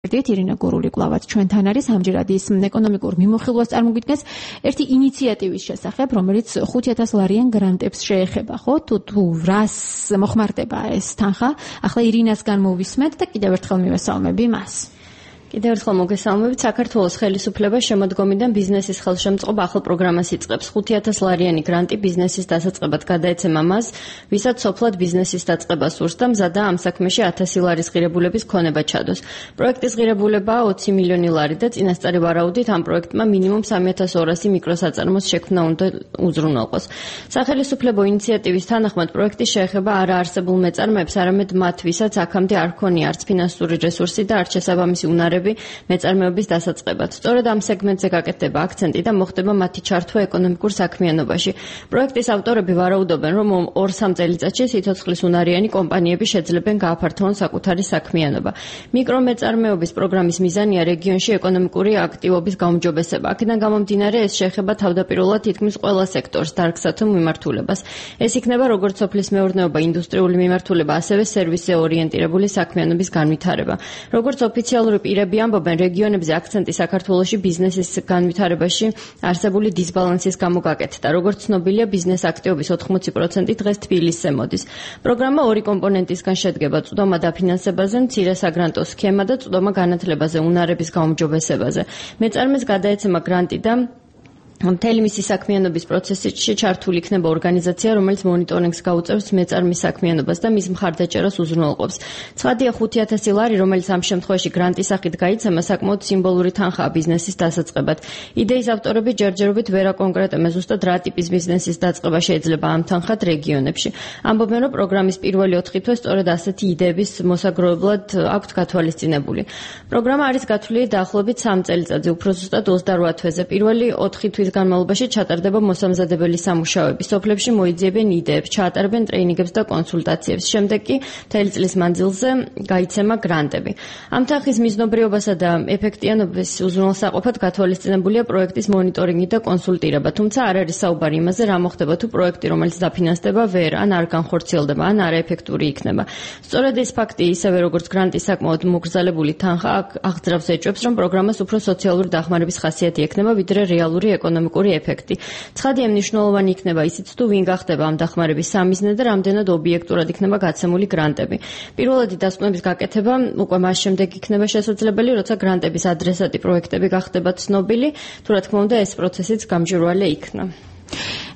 ირინა გურული კვლავაც ჩვენთან არის ამჯერად ის ეკონომიკურ მიმოხილვას წარმოგვიდგენს ერთი ინიციატივის შესახებ, რომელიც 5,000 ლარიან გრანტებს შეეხება, ხო? თუ რას მოხმარდება ეს თანხა? ახლა ირინასგან მოვისმენთ და კიდევ ერთხელ მივესალმები მას. კიდევ ერთხელ მოგესალმებით. საქართველოს ხელისუფლება შემოდგომიდან ბიზნესის ხელშემწყობა ახალ პროგრამას იწყებს. 5,000 ლარიანი გრანტი ბიზნესის დასაწყებად გადაეცემა მას, ვისაც სოფლად ბიზნესის დაწყება სურს და მზადაა ამ საქმეში 1000 ლარის ღირებულების ქონება ჩადოს. პროექტის ღირებულებაა 20 მილიონი ლარი და წინასწარი ვარაუდით ამ პროექტმა მინიმუმ 3200 მიკროსაწარმოს შექმნა უნდა უზრუნველყოს. სახელისუფლებო ინიციატივის თანახმად პროექტი შეეხება არაარსებულ მეწარმეებს, არამედ მათ, ვისაც აქამდე არ ჰქონია არც ფინანსური რესურსი და არც შესაბამისი უნარები მეწარმეობის დასაწყებად. სწორედ ამ სეგმენტზე გაკეთდება აქცენტი და მოხდება მათი ჩართვა ეკონომიკურ საქმიანობაში. პროექტის ავტორები ვარაუდობენ, რომ 2-3 წელიწადში სიცოცხლის უნარიანი კომპანიები შეძლებენ გააფართოვონ საკუთარი საქმიანობა. მიკრომეწარმეობის პროგრამის მიზანია რეგიონში ეკონომიკური აქტივობის გაუმჯობესება. აქედან გამომდინარე ეს შეეხება თავდაპირველად თითქმის ყველა სექტორს, დარგსა თუ მიმართულებას. ეს იქნება როგორც სოფლის მეურნეობა, ინდუსტრიული მიმართულება, ასევე სერვისზე ორიენტირებული საქმიანობის განვითარება. როგორც ოფიციალური პირები ამბობენ, რეგიონებზე აქცენტი საქართველოში ბიზნესის განვითარებაში არსებული დისბალანსის გამო გაკეთდა. როგორც ცნობილია, ბიზნეს აქტივობის 80% დღეს თბილისზე მოდის. პროგრამა ორი კომპონენტისგან შედგება: წვდომა დაფინანსებაზე, მცირე საგრანტო სქემა და წვდომა განათლებაზე, უნარების გაუმჯობესებაზე. მეწარმეს გადაეცემა გრანტი და მთელი მისი საქმიანობის პროცესში ჩართული იქნება ორგანიზაცია, რომელიც მონიტორინგს გაუწევს მეწარმის საქმიანობას და მის მხარდაჭერას უზრუნველყოფს. ცხადია 5,000 ლარი, რომელიც ამ შემთხვევაში გრანტის სახით გაიცემა, საკმაოდ სიმბოლური თანხაა ბიზნესის დასაწყებად. იდეის ავტორები ჯერჯერობით ვერ აკონკრეტებენ ზუსტად რა ტიპის ბიზნესის დაწყება შეიძლება ამ თანხად რეგიონებში. ამბობენ, რომ პროგრამის პირველი 4 თვე სწორედ ასეთი იდეების მოსაგროვებლად აქვთ გათვალისწინებული. პროგრამა არის გათვლილი დაახლოებით 3 წელიწადზე, უფრო ზუსტად 28 თვეზე. პირველი 4 თვის განმავლობაში ჩატარდება მოსამზადებელი სამუშაოები. სოფლებში მოიძიებენ იდეებს, ჩაატარებენ ტრეინინგებს და კონსულტაციებს. შემდეგ კი მთელი წლის მანძილზე გაიცემა გრანტები. ამ თანხის მიზნობრიობასა და ეფექტიანობის უზრუნველსაყოფად გათვალისწინებულია პროექტის მონიტორინგი და კონსულტირება. თუმცა არ არის საუბარი იმაზე, რა მოხდება თუ პროექტი, რომელიც დაფინანსდება, ვერ ან არ განხორციელდება, ან არაეფექტური იქნება. სწორედ ეს ფაქტი, ისევე როგორც გრანტის საკმაოდ მოგრძალებული თანხა, აღძრავს ეჭვებს, რომ პროგრამას უფრო სოციალური დახმარების ხასიათი ექნება, ვიდრე რეალური ეკონომიკური ეფექტი. ცხადია, მნიშვნელოვანი იქნება ისიც თუ ვინ გახდება ამ დახმარების სამიზნე და რამდენად ობიექტურად იქნება გაცემული გრანტები. პირველადი დასკვნების გაკეთება უკვე მას შემდეგ იქნება შესაძლებელი, როცა გრანტების ადრესატი პროექტები გახდება ცნობილი, თუ რა თქმა უნდა ეს პროცესიც გამჭვირვალე იქნა.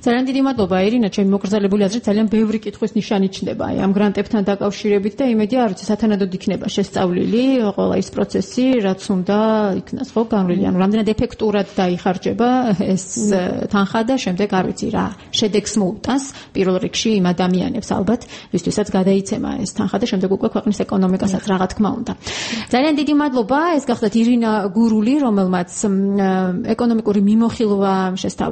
ძალიან დიდი მადლობა ირინა, ჩემი მოკრძალებული აზრით ძალიან ბევრი კითხვის ნიშანი ჩნდება ამ გრანტებთან დაკავშირებით და იმედია, არ ვიცი, სათანადოდ იქნება შესწავლილი ყველა ის პროცესი, რაც უნდა იქნას, ხო, განვლილი, ანუ რამდენად ეფექტურად დაიხარჯება ეს თანხა და შემდეგ არ ვიცი რა შედეგს მოუტანს პირველ რიგში იმ ადამიანებს ალბათ, ვისთვისაც გადაიცემა ეს თანხა და შემდეგ უკვე ქვეყნის ეკონომიკასაც რა თქმა უნდა. ძალიან დიდი მადლობა, ეს გახლდათ ირინა გურული, რომელმაც ეკონომიკური მიმოხილვა შესთავაზა